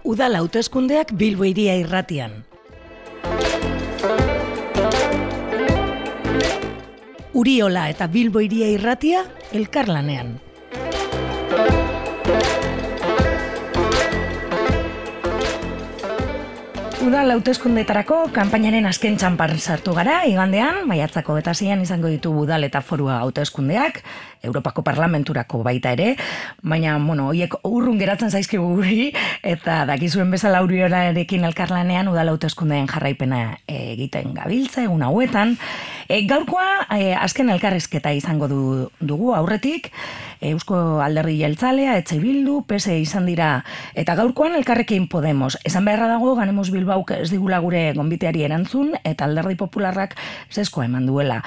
Udal hauteskundeak Bilbo Hiria Irratian. Uriola eta Bilbo Hiria Irratia elkarlanean. Udal hauteskundeetarako kanpainaren azken txanpan sartu gara, igandean, maiatzako 26an izango ditu udal eta forua hauteskundeak, Europako Parlamenturako baita ere, baina, horiek urrun geratzen zaizkigu guri, eta dakizuen bezala Uriolarekin elkarlanean udal hauteskundeen jarraipena egiten gabiltza, egun hauetan. Gaurkoa, azken elkarrizketa izango dugu aurretik, Eusko Alderdi Jeltzalea, Etxe Bildu, PSE izan dira, eta gaurkoan Elkarrekin Podemos. Esan beharra dago, Ganemos Bilbauk ez digula gure gonbiteari erantzun, eta Alderdi Popularrak zeskoa eman duela.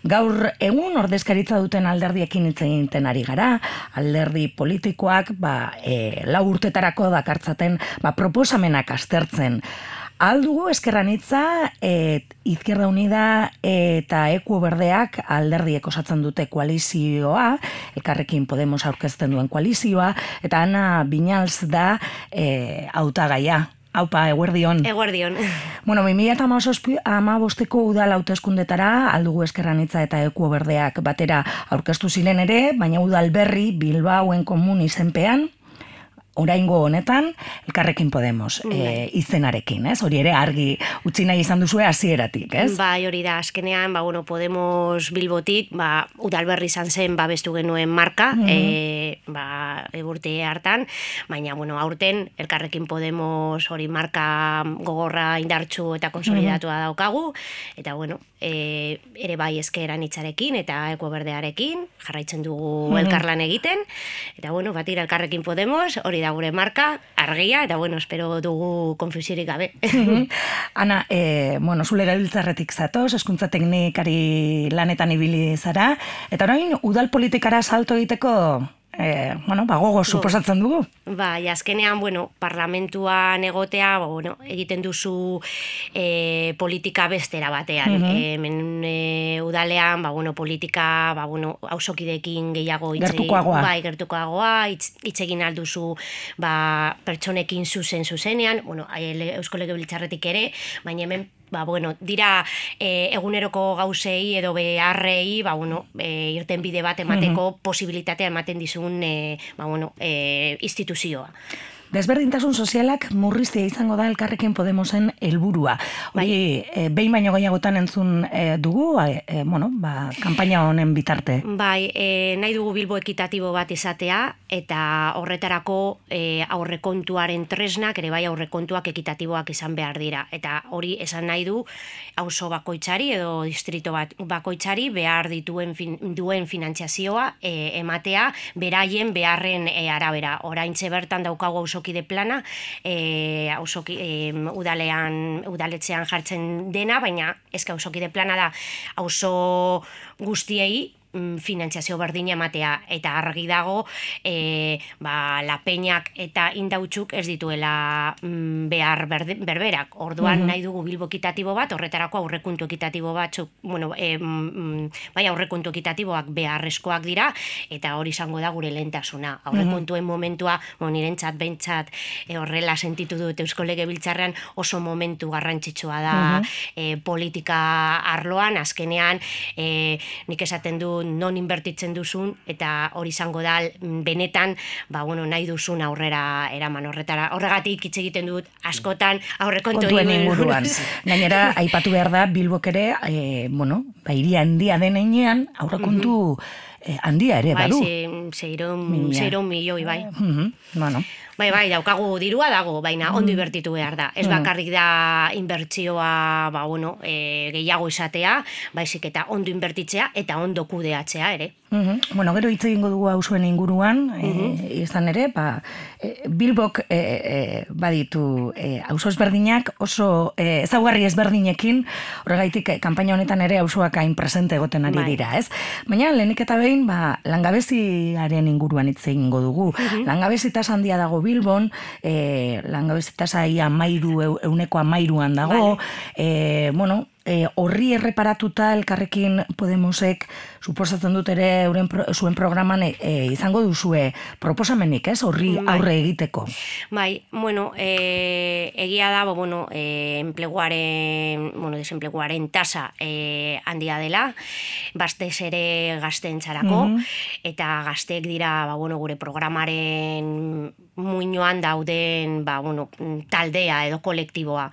Gaur egun ordezkaritza duten alderdiekin hitz egiten ari gara, alderdi politikoak 4 urtetarako dakartzaten proposamenak aztertzen. Aldugu Ezker Anitza, Izquierda Unida eta Ekuo Berdeak alderdiek osatzen dute koalizioa, Elkarrekin Podemos aurkezten duen koalizioa, eta Ana Viñals da hautagaia. Haupa, eguerdion. Eguerdion. 2015ko udal hauteskundetara aldugu Ezker Anitza eta Ekuo Berdeak batera aurkeztu ziren ere, baina udal berri Bilbaoen komun izenpean, oraingo honetan, Elkarrekin Podemos izenarekin, ez? Hori ere argi utzi nahi izan duzue hasieratik, ez? Bai, hori da, azkenean, Podemos Bilbotik, udal berri izan zen babestu genuen marka, urte hartan, baina, aurten, Elkarrekin Podemos hori marka gogorra indartsu eta konsolidatua daukagu, eta, ere bai Ezker Anitzarekin eta Ekuo Berdearekin, jarraitzen dugu elkarlan egiten, eta, batira Elkarrekin Podemos, hori da gure marka, argia, eta espero dugu konfusiorik gabe. Ana, zule gabiltzarretik zatoz, hezkuntza teknikari lanetan ibili zara, eta orain udal politikara salto egiteko gogo suposatzen dugu. Azkenean, parlamentuan egotea, egiten duzu politika bestera batean. Udalean, politika, auzokideekin gehiago gertukoagoa, hitz egin alduzu pertsonekin zuzenean, Eusko Legebiltzarretik ere, baina hemen dira eguneroko gauzei edo beharrei irten bide bat emateko posibilitatea ematen dizun instituzioa. Desberdintasun sozialak murriztea izango da Elkarrekin Podemosen helburua. Hori, behin baino gehiagotan entzun dugu, kanpaina honen bitarte. Nahi dugu Bilbo ekitatibo bat izatea, eta horretarako aurrekontuaren tresnak, ere bai aurrekontuak ekitatiboak izan behar dira. Eta hori esan nahi du, auzo bakoitzari edo distrito bakoitzari behar duen finantziazioa ematea, beraien beharren arabera. Oraintxe bertan daukagu auzokide plana, udaletxean jartzen dena, baina ezka auzokide plana da auzo guztiei finantziazio berdina ematea, eta argi dago lapeñak eta indautzuk ez dituela behar berberak. Orduan nahi dugu Bilbo ekitatibo bat, horretarako aurrekontu ekitatibo batzuk, aurrekontu ekitatiboak beharrezkoak dira, eta hori izango da gure lehentasuna. Aurrekontuen momentua, nirentzat behintzat horrela sentitu dut Eusko Legebiltzarrean, oso momentu garrantzitsua da politika arloan, azkenean nik esaten du non inbertitzen duzun, eta hori izango da benetan, nahi duzun aurrera eraman horregatik hitz egiten dut askotan aurrekontuen inguruan. Gainera, aipatu behar da, Bilbok ere, hiria handia den heinean, aurrekontu handia ere, badu. 600 milioi, daukagu dirua dago, baina ondo inbertitu behar da. Ez bakarrik da inbertsioa gehiago izatea, baizik eta ondo inbertitzea eta ondo kudeatzea ere. Gero hitz egingo dugu auzuen inguruan, izan ere, Bilbok baditu auzo ezberdinak oso ezaugarri ezberdinekin, horregaitik kanpaina honetan ere auzoak hain presente egoten ari dira, ez? Baina lehenik eta behin, langabeziaren inguruan hitz egingo dugu. Langabezitaz handia dago Bilbon, langabezitaz ia 13% dago, horri erreparatuta Elkarrekin Podemosek suposatzen dut ere zuen programan izango duzue proposamenik, ez? Horri aurre egiteko. Bai, bueno, egia da, desenpleguaren tasa handia dela, batez ere gazteentzarako, eta gazteek dira, gure programaren muinoan dauden, taldea edo kolektiboa.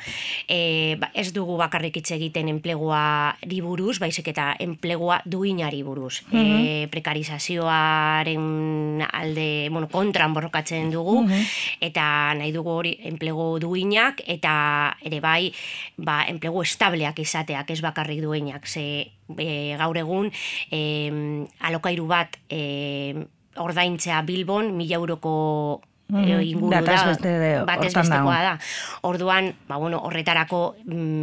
Ez dugu bakarrik hitz egiten enpleguari buruz, baizik eta enplegua duinari buruz. Prekarizazioaren alde, kontran borrokatzen dugu, eta nahi dugu hori enplegu duinak, eta ere bai, enplegu estableak izateak, ez bakarrik duinak. Ze gaur egun, alokairu bat ordaintzea Bilbon, 1.000 euroko inguru da, batez bestekoa da. Orduan, horretarako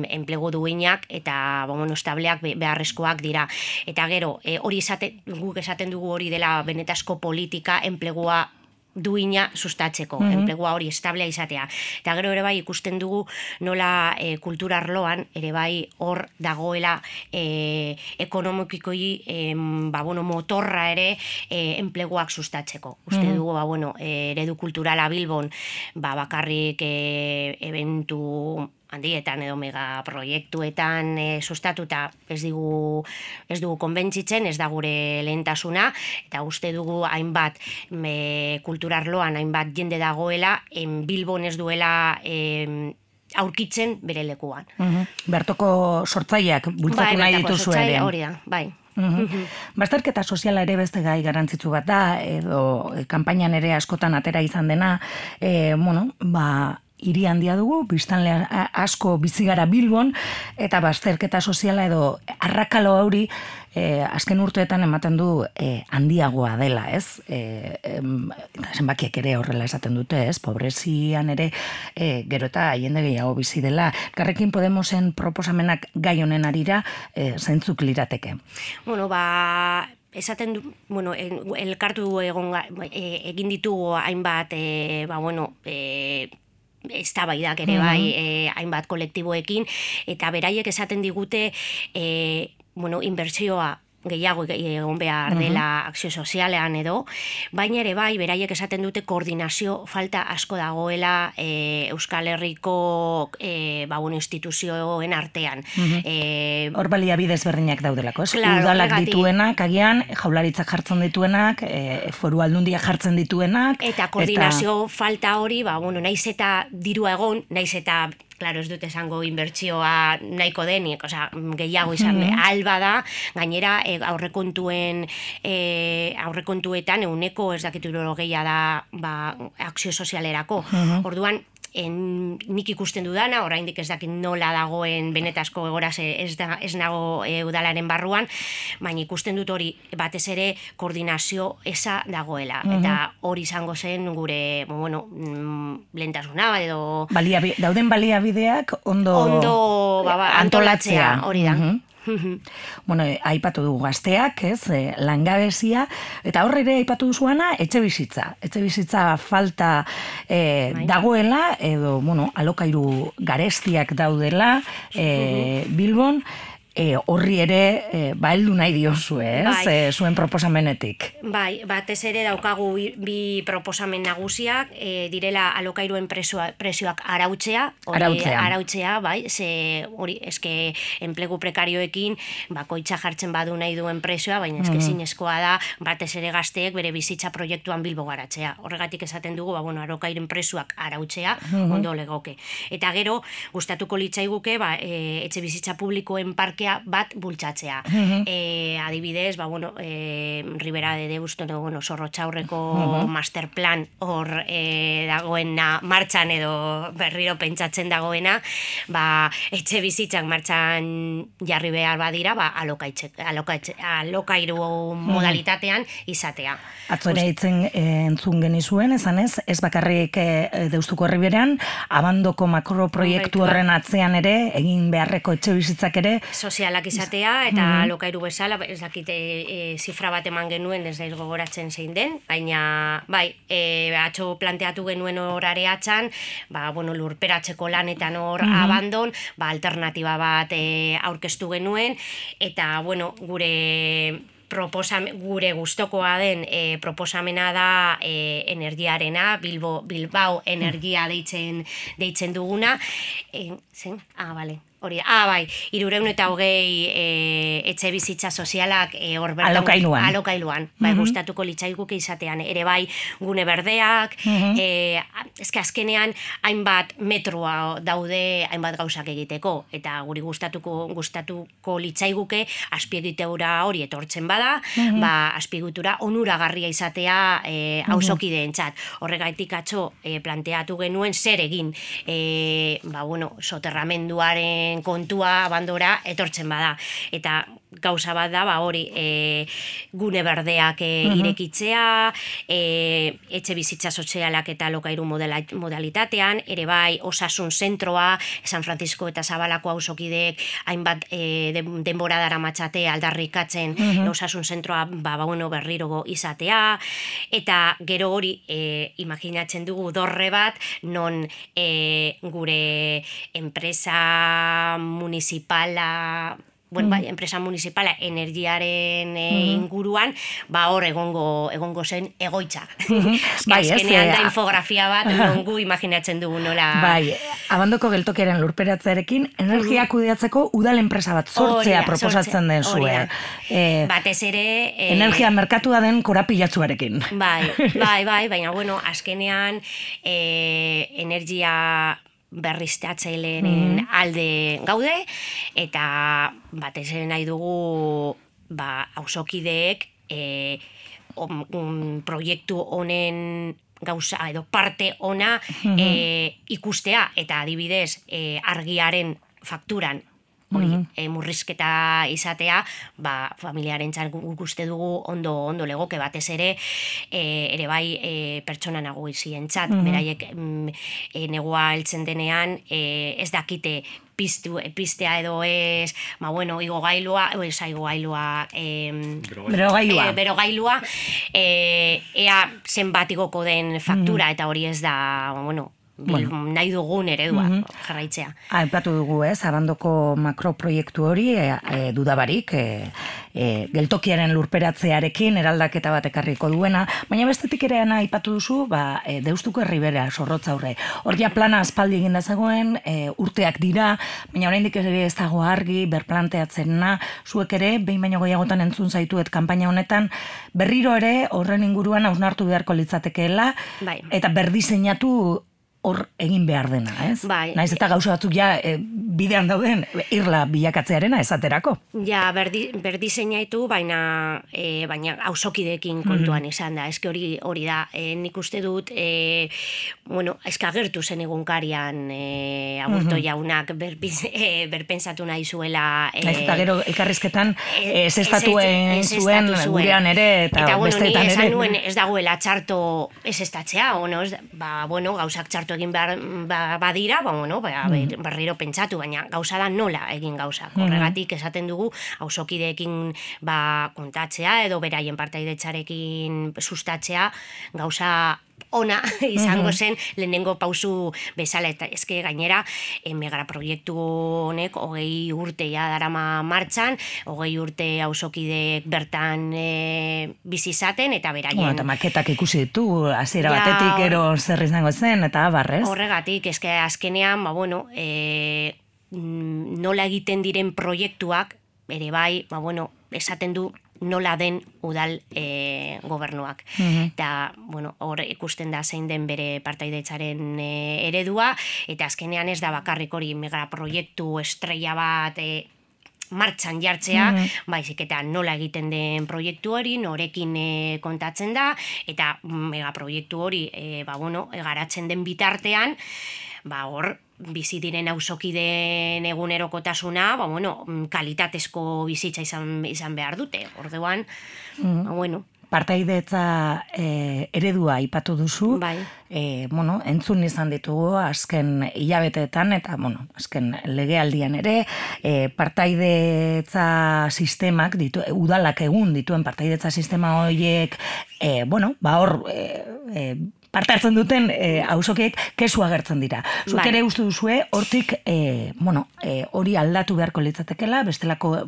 enplegu duinak eta estableak beharrezkoak dira. Eta gero, guk esaten dugu hori dela benetazko politika enplegua duina sustatzeko, enplegua hori establea izatea. Eta gero ere bai ikusten dugu nola kultura arloan ere bai hor dagoela ekonomikoi motorra ere enpleguak sustatzeko. Uste dugu eredu kulturala Bilbon bakarrik eventu handietan edo megaproiektuetan sustatuta ez dugu konbentzitzen, ez da gure lehentasuna, eta uste dugu hainbat kulturarloan hainbat jende dagoela, Bilbon ez duela aurkitzen bere lekuan. Bertoko sortzaileak bultzatu nahi dituzu ere. Hori da, bai. Bazterketa soziala ere beste gai garrantzitsu bat da, edo kanpainan ere askotan atera izan dena, hiri handia dugu, biztanle asko bizi gara Bilbon, eta bazterketa soziala edo arrakalo hori azken urteetan ematen du handiagoa dela, ez? Zenbakiek ere horrela esaten dute, ez? Pobrezian ere gero eta jende gehiago bizi dela. Elkarrekin Podemosen proposamenak gai honen arira zeintzuk lirateke? Esaten du, elkartu egin ditugu hainbat, eztabaidak ere bai, hainbat kolektiboekin, eta beraiek esaten digute inbertsioa gehiago egon behar dela akzio sozialean edo, baina ere bai, beraiek esaten dute koordinazio falta asko dagoela Euskal Herriko instituzioen artean. Hor baliabide ezberdinak daudelako, ez? Udalak dituenak, agian, jaularitzak jartzen dituenak, foru aldundiak jartzen dituenak. Eta koordinazio falta hori, naiz eta dirua egon, naiz eta claro, ez dut esango inbertsioa nahiko denik, gehiago izan alba da, gainera aurrekontuetan euneko ez dakit gehiago da akzio sozialerako. Orduan, nik ikusten dudana, oraindik ez dakit nola dagoen benetazko egoraz ez nago udalaren barruan, baina ikusten dut hori batez ere koordinazio eza dagoela. Eta hori izango zen gure lehentasuna edo... Dauden baliabideak ondo antolatzea, hori da. Aipatu dugu gazteak, ez, langabezia, eta horre ere aipatu duzuana etxebizitza falta dagoela, edo, alokairu garestiak daudela Bilbon, horri ere heldu nahi diozu, ez, zuen proposamenetik. Bai, batez ere daukagu bi proposamen nagusiak, direla alokairuen prezioak arautzea, bai, ze hori, eske enplegu prekarioekin bakoitza jartzen badu nahi duen prezioa, baina eske zinezkoa da, batez ere gazteek bere bizitza proiektuan Bilbo garatzea. Horregatik esaten dugu, alokairen prezioak arautzea, ondo legoke. Eta gero, gustatuko litzaiguke, etxe bizitza publikoen parkea bat bultzatzea. Adibidez, Ribera de Deusto, Zorrotxaurreko masterplan hor dagoena martxan edo berriro pentsatzen dagoena, etxe bizitzak martxan jarri behar badira, alokairu modalitatean izatea. Atzore entzun genizuen, esanez, ez bakarrik Deustuko Riberan, Abandoko makroproiektu horren atzean ere, egin beharreko etxe bizitzak ere, sozialak izatea, eta alokairu bezala, ez dakite zifra bat eman genuen, ez daiz gogoratzen zein den, baina, atxo planteatu genuen horare atxan, lurperatzeko lanetan hor abandon, alternatiba bat aurkeztu genuen, eta, gure gure gustokoa den proposamena da energiarena, Bilbao energia deitzen duguna. Zen? Bale. Hori, bai, 320 etxe bizitza sozialak hor bertan alokailuan. Bai, gustatuko litzaiguke izatean ere bai gune berdeak, eske azkenean hainbat metroa daude hainbat gauzak egiteko eta guri gustatuko litzaiguke azpiegitura hori etortzen bada, azpiegitura onuragarria izatea auzokideentzat. Horregaitik atzo planteatu genuen zer egin, soterramenduaren kontua abandora etortzen bada. Eta gauza bat da, hori gune berdeak irekitzea, etxe bizitza sozialak eta alokairu modalitatean, ere bai osasun zentroa, San Francisco eta Zabalako auzokideek hainbat denbora daramatxate aldarrikatzen osasun zentroa berriro izatea, eta gero hori imaginatzen dugu dorre bat, non gure enpresa municipala, enpresa municipala energiaren inguruan, hor egongo zen egoitza. Azkenean da infografia bat, nongu imaginatzen dugu nola. Bai, Abandoko geltokiaren lurperatzearekin, energia kudeatzeko udal enpresa bat sortzea proposatzen den zue. Batez ere... Energia merkatua den korapilatzuarekin. Bai, baina, azkenean energia berriztatzaileen alde gaude, eta batez ere nahi dugu auzokideek proiektu honen gauza edo parte ona ikustea, eta adibidez argiaren fakturan murrizketa izatea, familiaren txan uste dugu ondo legoke, batez ere bai pertsona naguizien txat, beraiek negua heltzen denean ez dakite pistea edo ez, berogailua, ea zenbat igoko den faktura, eta hori ez da, nahi dugun eredua jarraitzea. Aipatu dugu, Abandoko makroproiektu hori dudabarik, geltokiaren lurperatzearekin eraldaketa bat ekarriko duena, baina bestetik ere aipatu duzu, Deustuko Herribera Zorrotza aurre. Hor ja plana aspaldi egin dezagoen, urteak dira, baina oraindik ere ez dago argi, berplanteatzena, zuek ere, behin baino gehiagotan entzun zaituet kanpaina honetan, berriro ere horren inguruan hausnartu beharko litzatekeela, eta berdiseinatu hor egin behar dena, ez? Naiz eta gauza batzuk bidean dauden irla bilakatzearena esaterako. Berdiseinatu, baina auzokideekin kontuan izan da. Eske hori da, nik uste dut, eske agertu zen egunkarian Aburto jaunak berpentsatu nahi zuela. Naiz eta gero elkarrizketan estatuen zuen gurean ere, eta besteetan ere. Eta esan nuen ez dagoela txarto ez estatzea, gauzak txarto egin badira, berriro pentsatu, baina gauza da nola egin gauzak. Horregatik esaten dugu auzokideekin kontatzea edo beraien partaidetzarekin sustatzea gauza ona izango zen lehenengo pausu bezala, eta eske gainera megaproiektu honek 20 urte darama martxan, 20 urte auzokideek bertan bizi izaten, eta beraien... Eta maketak ikusi ditu, hasiera batetik ero zer izango zen, eta abarrez. Horregatik, eske azkenean, nola egiten diren proiektuak, ere bai, esaten du nola den udal gobernuak. Eta, hor ikusten da zein den bere partaidetzaren eredua, eta azkenean ez da bakarrik hori megaproiektu estrella bat martxan jartzea, baizik eta nola egiten den proiektu hori, norekin kontatzen da, eta megaproiektu hori garatzen den bitartean, hor, bizi diren auzokideen egunerokotasuna, kalitatezko bizitza izan behar dute. Orduan, Partaidetza eredua aipatu duzu, entzun izan ditugu azken hilabeteetan, eta azken legealdian ere, partaidetza sistemak, udalak egun dituen partaidetza sistema horiek, hor, parte hartzen duten auzokiek kesu agertzen dira. Zuk ere uste duzue, hortik, hori aldatu beharko litzatekela, bestelako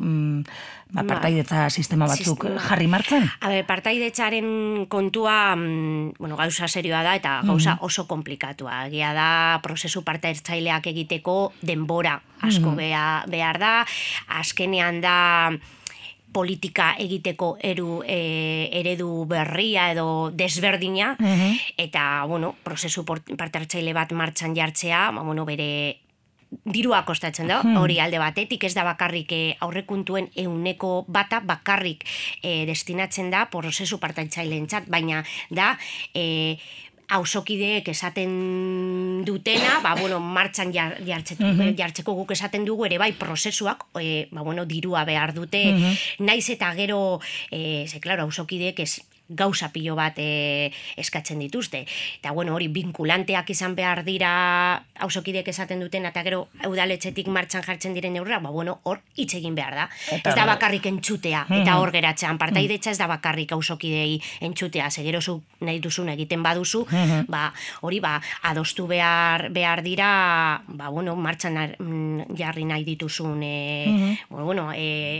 partaidetza sistema batzuk jarri martzen? Partaidetzaren kontua, gauza serioa da eta gauza oso komplikatua. Egia da, prozesu partaidetzaileak egiteko denbora asko behar da, azkenean da politika egiteko eredu berria edo desberdina, eta, prozesu parte-hartzaile bat martxan jartzea, bere dirua kostatzen da, hori alde batetik, ez da bakarrik aurrekuntuen 100% bakarrik destinatzen da prozesu parte-hartzaileentzat, baina da auzokideek esaten dutena, martxan jartzeko guk esaten dugu ere bai prozesuak, dirua behar dute, naiz eta gero, auzokideek gauza pilo bat eskatzen dituzte. Eta hori vinkulanteak izan behar dira auzokideek esaten duten, eta gero udaletxetik martxan jartzen diren neurra, hor hitz egin behar da. Ez da bakarrik entzutea, eta hor geratzean, partaidetza ez da bakarrik auzokidei entzutea, zegerozuk nahi duzun egiten baduzu, hori adostu behar dira, martxan jarri nahi dituzun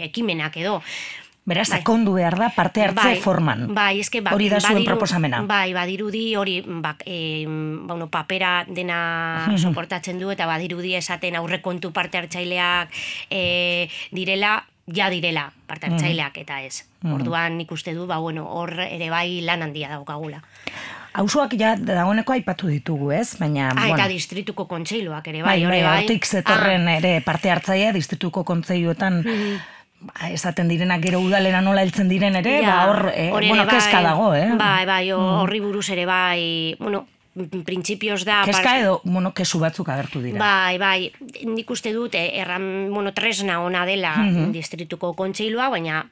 ekimenak edo. Beraz, sakondu behar da parte hartze forman. Hori da zuen proposamena. Badirudi hori papera dena soportatzen du eta badirudi esaten aurrekontu parte hartzaileak direla parte hartzaileak eta ez. Orduan nik uste du, hor ere bai lan handia daukagula. Auzoak ja dagoeneko aipatu ditugu, ez? Baina, eta distrituko kontseiluak ere bai. Hortik zetorren ere parte hartzailea distrituko kontseiluetan esaten direnak gero udalera nola heltzen diren ere, kezka dago, horri buruz ere bai, printzipioz da... Kezka edo, kesu batzuk agertu dira. Bai, nik uste dut, tresna ona dela distrituko kontseilua, baina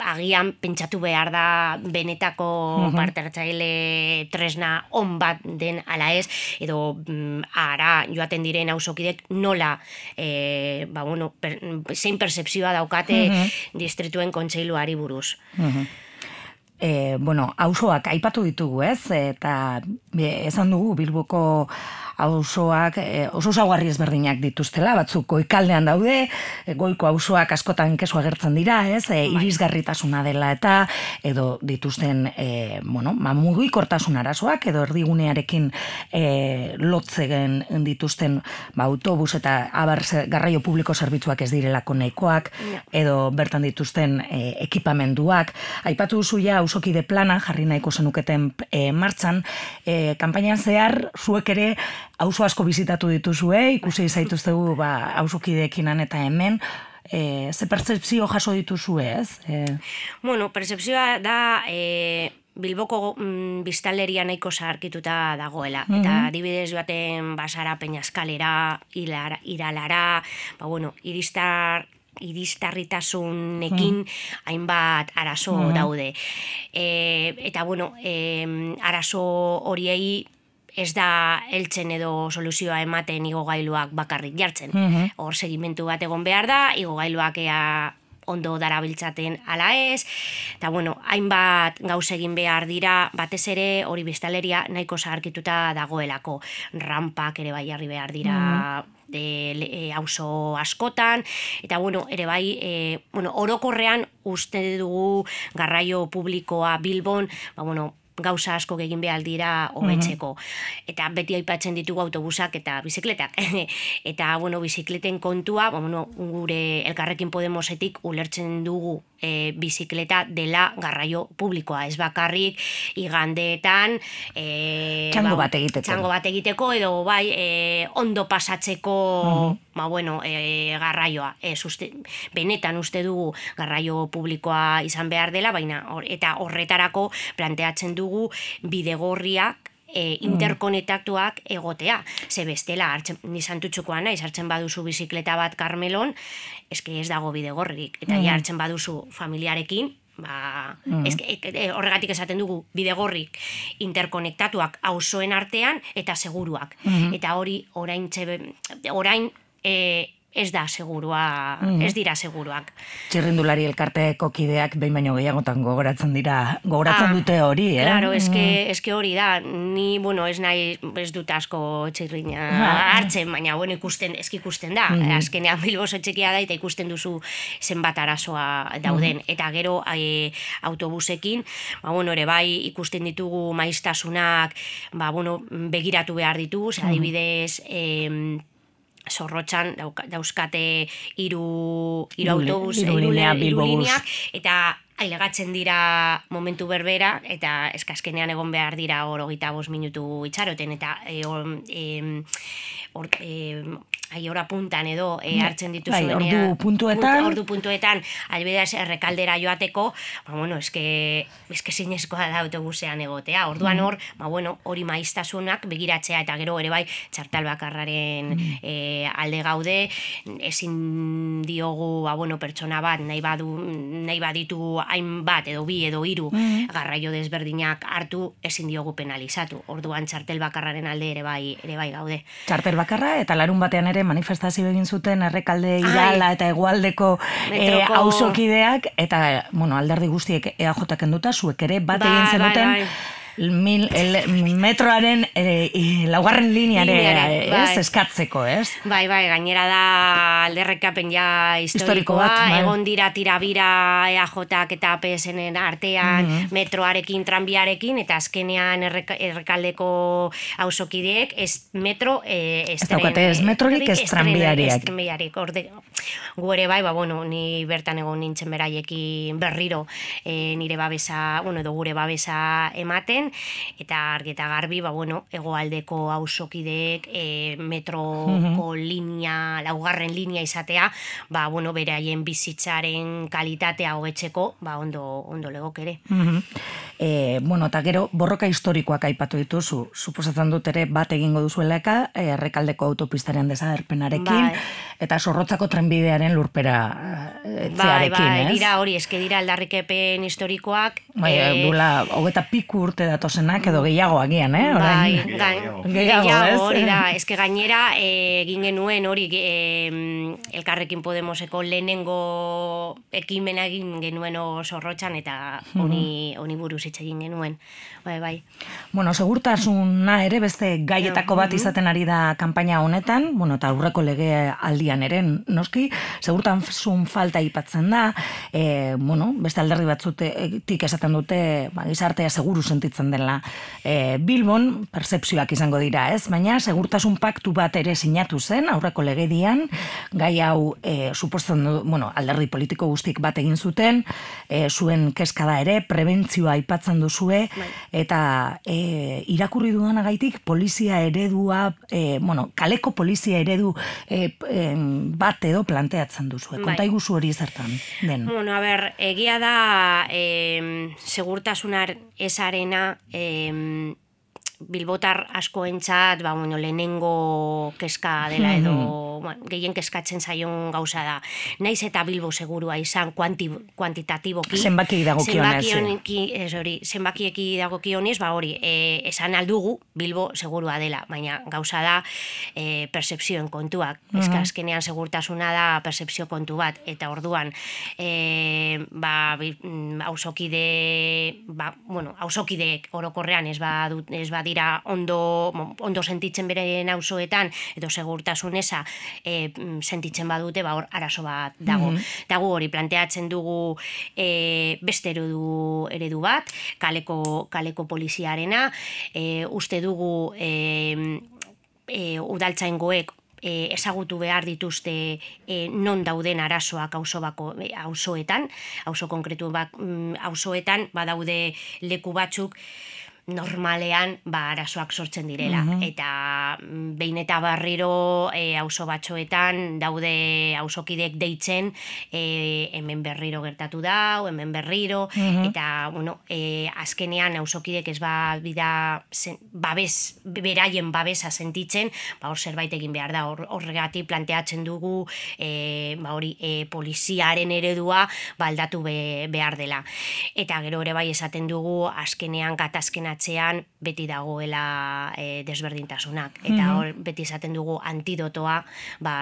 agian pentsatu behar da benetako parte hartzaile tresna on bat den ala ez, edo ara joaten diren auzokidek nola zein percepzioa daukate distrituen kontseiluari buruz. Auzoak aipatu ditugu, ez? Eta esan dugu Bilboko auzoak oso ezaugarri ezberdinak dituztela, batzuk goikaldean daude, goiko auzoak askotan kesu agertzen dira, ez? Irisgarritasuna dela eta edo dituzten mugikortasun arazoak edo erdigunearekin lotzegen dituzten autobus eta garraio publiko zerbitzuak ez direlako nahikoak edo bertan dituzten ekipamenduak. Aipatu duzu ja auzokide plana jarri nahiko zenuketen martxan, kanpainan zehar zuek ere auzo asko bizitatu dituzue, ikusi zaituztegu auzokideekin eta hemen, ze pertzepzio jaso dituzue, ez? Pertzepzioa da Bilboko biztanleria nahiko zaharkituta dagoela. Eta adibidez joaten Basara, Peñaskalera, Iralara, iristarritasunekin hainbat arazo daude. Eta arazo horiei ez da heltzen edo soluzioa ematen igogailuak bakarrik jartzen. Hor segimentu bat egon behar da, igogailuak ondo darabiltzaten ala ez, eta hainbat gauz egin behar dira, batez ere hori biztanleria nahiko zaharkituta dagoelako. Rampak ere bai jarri behar dira auzo askotan, eta ere bai, orokorrean uste dugu garraio publikoa Bilbon, gauza asko egin behar dira hobetzeko. Eta beti aipatzen ditugu autobusak eta bizikletak. Eta, bizikleten kontua, gure Elkarrekin Podemosetik ulertzen dugu bizikleta dela garraio publikoa. Ez bakarrik igandeetan txango bat egiteko edo bai ondo pasatzeko garraioa. Benetan uste dugu garraio publikoa izan behar dela, baina eta horretarako planteatzen dugu bidegorriak interkonektatuak egotea. Ze bestela, nizantutxukoa naiz, hartzen baduzu bizikleta bat Karmelon, ez dago bidegorrik. Eta hartzen baduzu familiarekin, horregatik esaten dugu bidegorrik interkonektatuak auzoen artean eta seguruak. Eta hori orain ez da segurua, ez dira seguruak. Txirrindulari elkarteko kideak behin baino gehiagotan gogoratzen dute hori, Claro, eske hori da, ni, ez nahi, ez dut asko txirrina hartzen, baina, ikusten da, azkenean Bilbo oso txikia da, eta ikusten duzu zenbat arazoa dauden, eta gero autobusekin, ere bai ikusten ditugu maiztasunak, begiratu behar ditugu, adibidez, Zorrotxan dauzkate hiru autobus, hiru lineak, eta ailegatzen dira momentu berbera, eta eskaskenean egon behar dira 25 minutu itxaroten, eta hora puntan edo hartzen dituzuenean. Ordu puntuetan, albidez errekaldera joateko, eske zinezkoa da autobusean egotea. Orduan hori maiztasunak begiratzea, eta gero ere bai txartal bakarraren alde gaude, ezin diogu pertsona bat nahi baditu hainbat edo bi edo hiru garraio desberdinak hartu, ezin diogu penalizatu. Orduan txartel bakarraren alde ere bai gaude. Txartel bakarra eta larun batean ere manifestazio egin zuten Errekalde, Irala eta Hegoaldeko auzokideak, eta alderdi guztiek EAJ kenduta, zuek ere bat egin zenuten metroaren laugarren lineare eskatzeko, ez? Bai, gainera da alderrekapen ja historikoa, egon dira tirabira EAJak eta APSen artean metroarekin, tranbiarekin, eta azkenean Errekaldeko auzokideek ez metro, ez metrorik, ez tranbiariak. Gu ere bai, ni bertan egon nintzen beraiekin berriro nire babesa, edo gure babesa ematen, eta argi eta garbi, Hegoaldeko auzokideek metroko linea, laugarren linea izatea, beraien bizitzaren kalitatea hobetzeko, ondo legok ere. Eta gero, borroka historikoak aipatu dituzu, suposatzen dut ere bat egingo duzuelaka, Errekaldeko autopistaren desagerpenarekin, eta Zorrotzako trenbidearen lurpera etzearekin, ez? Dira hori, eske dira aldarrikepen historikoak. Dula, 25 urte datozenak edo gehiago agian, Gehiago, hori da, eske gainera egin genuen hori Elkarrekin Podemoseko lehenengo ekimena egin genuen Zorrotzan, eta honi buruz hitz egin genuen. Bai. Segurtasuna ere beste gaietako bat izaten ari da kanpaina honetan, eta aurreko lege aldian ere, noski, segurtasun falta aipatzen da, beste alderdi batzutik esaten dute, gizartea seguru sentitzen dela Bilbon, pertzepzioak izango dira, ez? Baina segurtasun paktu bat ere sinatu zen, aurreko legedian, gai hau suposten du, alderdi politiko guztik bat egin zuten, zuen kezkada ere, prebentzioa aipatzen duzue, eta irakurri dudanagaitik polizia eredua, kaleko polizia eredu bat edo planteatzen duzue. Konta iguzu hori zertan den. Egia da segurtasunar esarena bilbotar askoentzat lehenengo kezka dela edo gehien kezkatzen zaion gauza da. Naiz eta Bilbo segurua izan kuantitatiboki. Zenbakiek dagokionez. Zenbakieki dagokionez, esan aldugu Bilbo segurua dela, baina gauza da percepzioen kontuak. Azkenean segurtasuna da percepzio kontu bat, eta orduan auzokideek orokorrean ez badira ondo sentitzen beren auzoetan, edo segurtasun eza sentitzen badute, hor arazo bat dago. Dago hori planteatzen dugu beste eredu bat, kaleko poliziarena, uste dugu udaltzaingoek ezagutu behar dituzte non dauden arazoak auzoetan, auzo konkretu auzoetan badaude leku batzuk normalean arazoak sortzen direla. Eta behin eta berriro auzo batzuetan daude auzokideek deitzen hemen berriro gertatu da, hemen berriro, eta azkenean auzokideek ez bida beraien babesa sentitzen, hor zerbait egin behar da. Horregatik planteatzen dugu poliziaren eredua aldatu behar dela. Eta gero ere bai esaten dugu azkenean gatazkenak atzean beti dagoela desberdintasunak. Eta hor beti izaten dugu antidotoa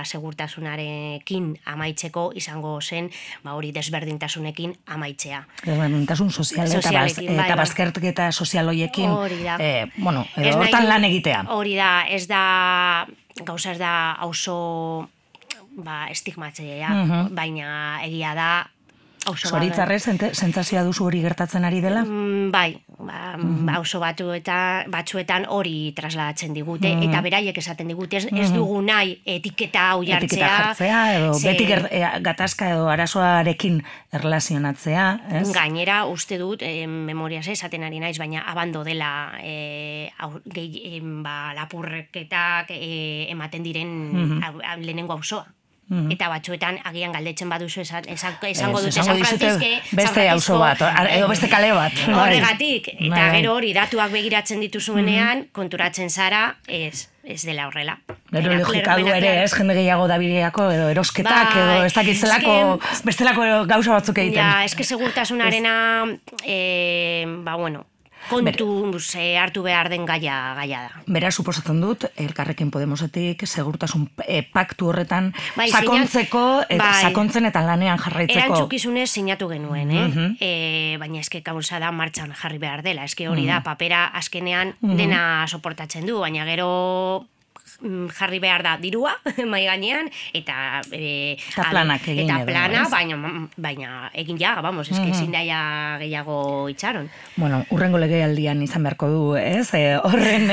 segurtasunarekin amaitzeko izango zen hori desberdintasunekin amaitzea. Desberdintasun sozial eta bazterketa sozial hoiekin edo hortan lan egitea. Hori da, gauza ez da oso estigmatzailea, baina egia da Zoritzarrez, sentsazioa duzu hori gertatzen ari dela? Bai, oso batzuetan hori trasladatzen digute, eta beraiek esaten digute, ez dugu nahi etiketa hau jartzea. Etiketa jartzea, edo beti gatazka edo arazoarekin erlazionatzea, ez? Gainera, uste dut, memoriaz esaten ari naiz, baina abando dela lapurreketak ematen diren lehenengo auzoa. Eta batzuetan agian galdetzen baduzu esango dute San Francisco beste auzo bat, edo beste kale bat. Horregatik, eta gero hori datuak begiratzen dituzuenean, konturatzen zara, ez dela horrela. Gero logikadu ere, ez jende gehiago dabileako, edo erosketak, edo ez dakitzelako, bestelako gauza batzuk egiten. Ja, eske segurtasunarena, kontu hartu behar den gaia da. Bera, suposatzen dut, Elkarrekin Podemosetik segurtasun paktu horretan sakontzeko, sakontzen eta lanean jarraitzeko. Erantzukizunez sinatu genuen, baina eske gauza da martxan jarri behar dela. Eske hori da, papera azkenean dena soportatzen du, baina gero jarri behar da dirua mai gainean eta planak egin eta plana baina egin ja, vamos, eske ezin daia gehiago itxaron. Bueno, urrengo legealdian izan beharko du, ez? Horren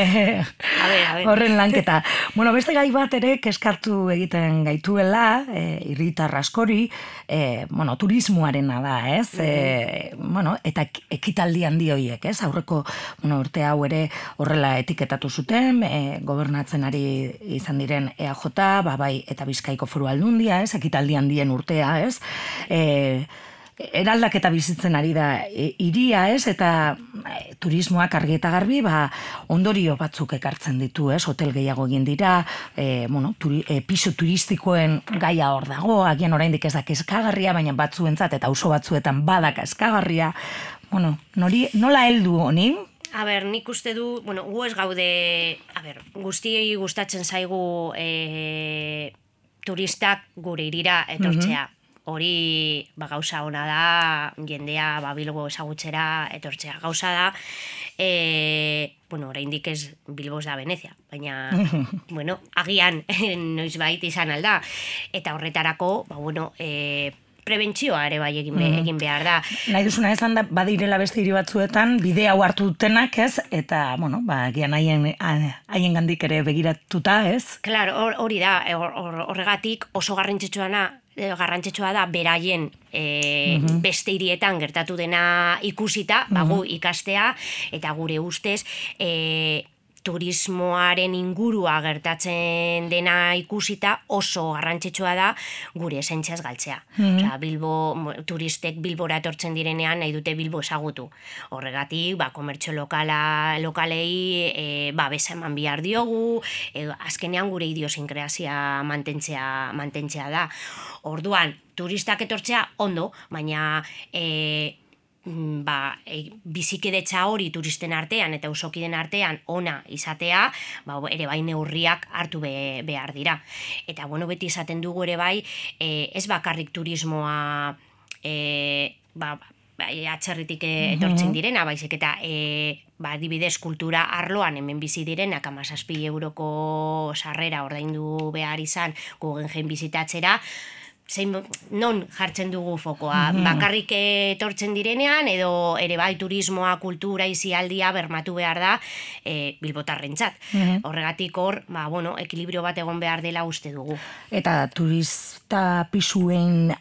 lanketa. Bueno, beste gai bat ere kezkatu egiten gaituela, irritar askori, turismoarena da, ez? Eta ekitaldi handi horiek, ez? Aurreko urte hau ere horrela etiketatu zuten, gobernatzen ari izan diren EAJ, bai, eta Bizkaiko Foru Aldundia, ez, ekitaldi handien urtea, ez, eraldaketa bizitzen ari da hiria, ez, eta turismoak argi eta garbi, ondorio batzuk ekartzen ditu, ez, hotel gehiago egin dira, pisu turistikoen gaia hor dago, agian oraindik ez da kezkagarria, baina batzuentzat eta auzo batzuetan bada kezkagarria, nola heldu honi? Nik uste du, gu ez gaude, guztiei gustatzen zaigu turistak gure irira etortzea. Hori gauza ona da, jendea Bilbo ezagutzera etortzea. Gauza da, oraindik ez Bilbo da Venezia, baina, agian noizbait izan alda. Eta horretarako, prebentzioa ere bai egin behar da. Nahi duzuna esan da, badirela beste hiri batzuetan, bide hau hartu dutenak, ez? Eta, gian haien gandik ere begiratuta, ez? Claro, hori da, horregatik oso garrantzitsua da beraien beste hirietan gertatu dena ikusita, gu ikastea, eta gure ustez, turismoaren ingurua gertatzen dena ikusita oso garrantzitsua da gure esentziaz galtzea. Turistek Bilbora etortzen direnean nahi dute Bilbo ezagutu. Horregatik, komertzio lokalei babesa eman behar diogu, azkenean gure idiosinkresia mantentzea da. Orduan, turistak etortzea ondo, baina bizikidetza hori turisten artean eta usokiden artean ona izatea, ere bai neurriak hartu behar dira. Eta beti izaten dugu ere bai, ez bakarrik turismoa atzerritik etortzen direna, baizik eta adibidez kultura arloan hemen bizi direnak 17 euroko sarrera ordaindu behar izan Guggenheim bizitatzera, non jartzen dugu fokoa, bakarrik etortzen direnean edo ere bai turismoa, kultura, izialdia bermatu behar da bilbotarrentzat. Horregatik hor, ekilibrio bat egon behar dela uste dugu. Eta turista pisuen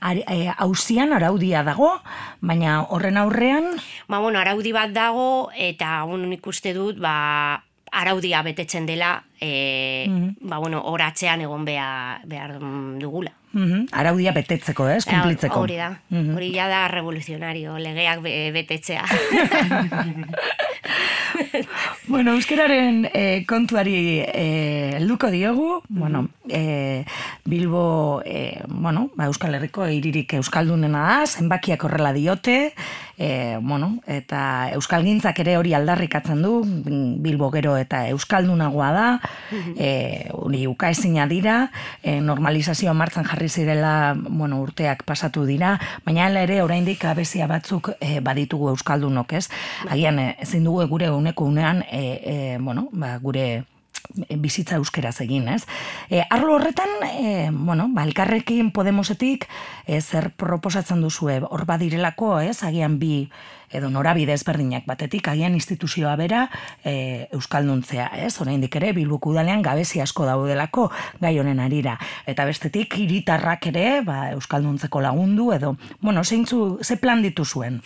auzian araudia dago, baina horren aurrean? Araudi bat dago eta nik uste dut araudia betetzen dela horatzean egon behar dugula. Araudia betetzeko, ez? Kumplitzeko. Hori da. Hori ja da revoluzionario, legeak betetzea. Euskararen kontuari helduko diogu. Bilbo, Euskal Herriko hiririk euskaldunena da, zenbakiak horrela diote, eta euskalgintzak ere hori aldarrikatzen du, Bilbo gero eta euskaldunagoa da, hori ukaezina dira, normalizazioa martzan jarri zirela, urteak pasatu dira, baina ere oraindik abezia batzuk baditugu euskaldunok, ez? Agian ezin dugu gure uneko unean, gure bizitza euskeraz egin, ez? Arlo horretan, Elkarrekin Podemosetik zer proposatzen duzue, hor badirelako, ez? Agian bi edo norabide ezberdinak batetik, agian instituzioa bera euskalduntzea, ez? Oraindik ere Bilboko udalean gabezi asko daudelako gai honen harira. Eta bestetik hiritarrak ere, euskalduntzeko lagundu edo, ze plan dituzuen?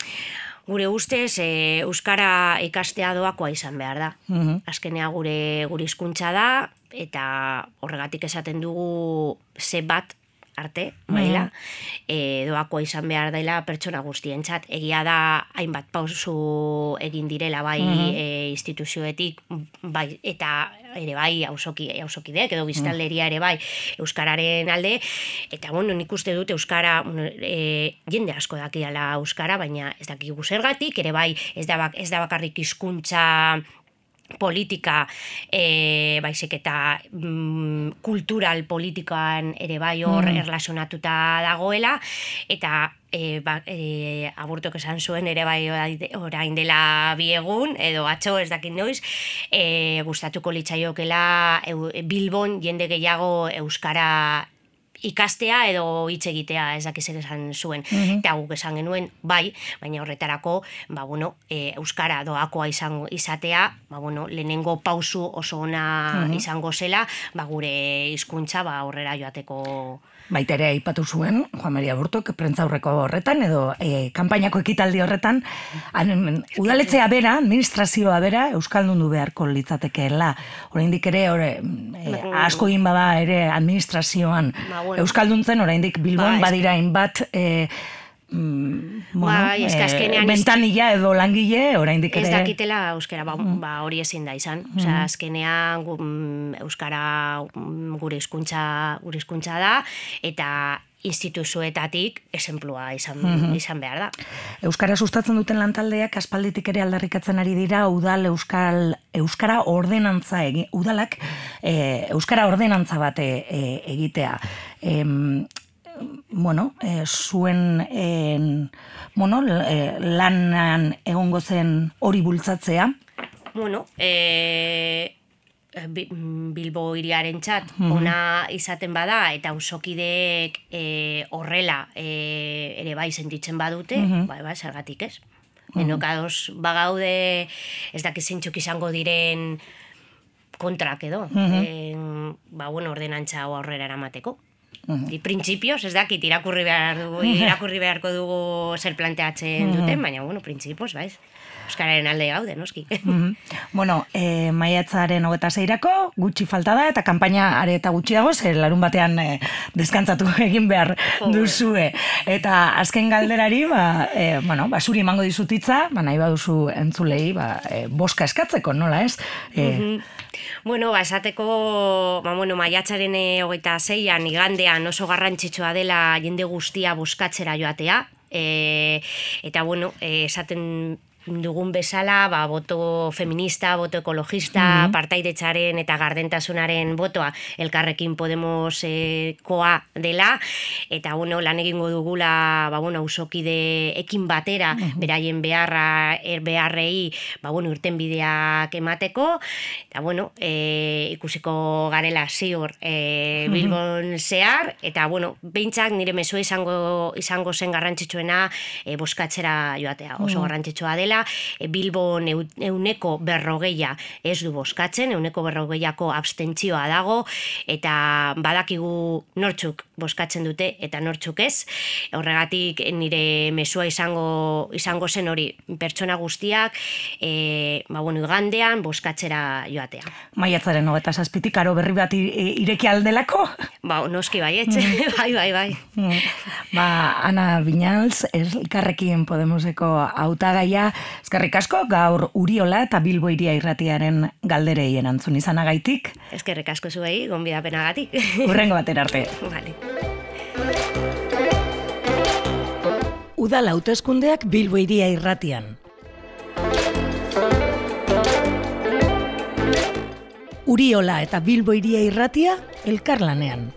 Gure ustez, euskara ikastea doakoa izan behar da. Azkenea gure hizkuntza da, eta horregatik esaten dugu ze bat arte, maila, doakoa izan behar dela pertsona guztientzat. Egia da, hainbat pausu egin direla bai instituzioetik, bai, eta ere bai hausokideek edo biztanleria ere bai euskararen alde, eta nik uste dut euskara, jende asko dakiala euskara, baina ez dakigu zergatik, ere bai ez da bakarrik hizkuntza politika, baizik eta kultural politikoan ere bai hor erlazionatuta dagoela, eta aburtok esan zuen ere bai orain dela 2 egun, edo atzo ez dakit noiz, gustatuko litzaiokela Bilbon jende gehiago euskara ikastea edo hitz egitea, ez dakiz ere esan zuen. Eta guk esan genuen, bai, baina horretarako, euskara doakoa izatea, lehenengo pausu oso ona izango zela, gure hizkuntza aurrera joateko. Baita ere aipatu zuen, Juan Maria Aburtok, prentzaurreko horretan, edo kanpainako ekitaldi horretan, udaletzea bera, administrazioa bera, euskaldundu beharko litzatekeela. Oraindik ere, asko egin bada ere administrazioan euskalduntzen, oraindik Bilbon badira hainbat mentanila edo langile, oraindik ere. Ez dakitela euskara, hori ezin da izan. Azkenean euskara gure hizkuntza da, eta instituzioetatik esenplua izan behar da. Euskara sustatzen duten lantaldeak aspalditik ere aldarrikatzen ari dira euskara ordenantza udalak euskara ordenantza bat egitea. Zuen lanan egongo zen hori bultzatzea? Bilbo hiriarentzat ona izaten bada eta auzokideek horrela ere bai sentitzen badute, zergatik ez? Enokados bagaude, ez dakit zeintzuk izango diren kontrak edo, ordenantza aurrera eramateko. Printzipioz, ez dakit, irakurri beharko dugu zer planteatzen duten, baina, printzipioz, baiz. Euskararen alde gaude, noski. Maiatzaren 26-rako gutxi falta da, eta kanpaina are eta gutxiago, zer larun batean deskantzatu egin behar duzue. Eta azken galderari, zuri emango dizutitza, nahi baduzu entzulei, boska eskatzeko, nola ez? Esateko, maiatzaren 26-an igandean oso garrantzitsua dela jende guztia boskatzera joatea, eta esaten dugun bezala, boto feminista, boto ekologista, partaidetzaren eta gardentasunaren botoa Elkarrekin Podemosekoa dela, eta lan egingo dugula auzokide ekin batera, beraien beharrei irtenbideak emateko, eta ikusiko garela ziur Bilbon zehar, eta behintzak nire mezua izango zen garrantzitsuena boskatzera joatea, oso garrantzitsua dela. Bilbon 40% ez du boskatzen, 40%ko abstentzioa dago, eta badakigu nortzuk boskatzen dute eta nortzuk ez. Horregatik nire mezua izango zen hori pertsona guztiak igandean boskatzera joatea. Maiatzaren 27-tik aro berri bat ireki aldelako? Noski baietxe, bai. Ana Viñals, Elkarrekin Podemoseko hautagaia, eskerrik asko gaur Uriola eta Bilbo Hiria Irratiaren galderei erantzun izanagaitik. Eskerrik asko zuei, gonbidapenagatik. Hurrengo batera arte. Vale. Udal hauteskundeak Bilbo Hiria Irratian. Uriola eta Bilbo Hiria Irratia elkarlanean.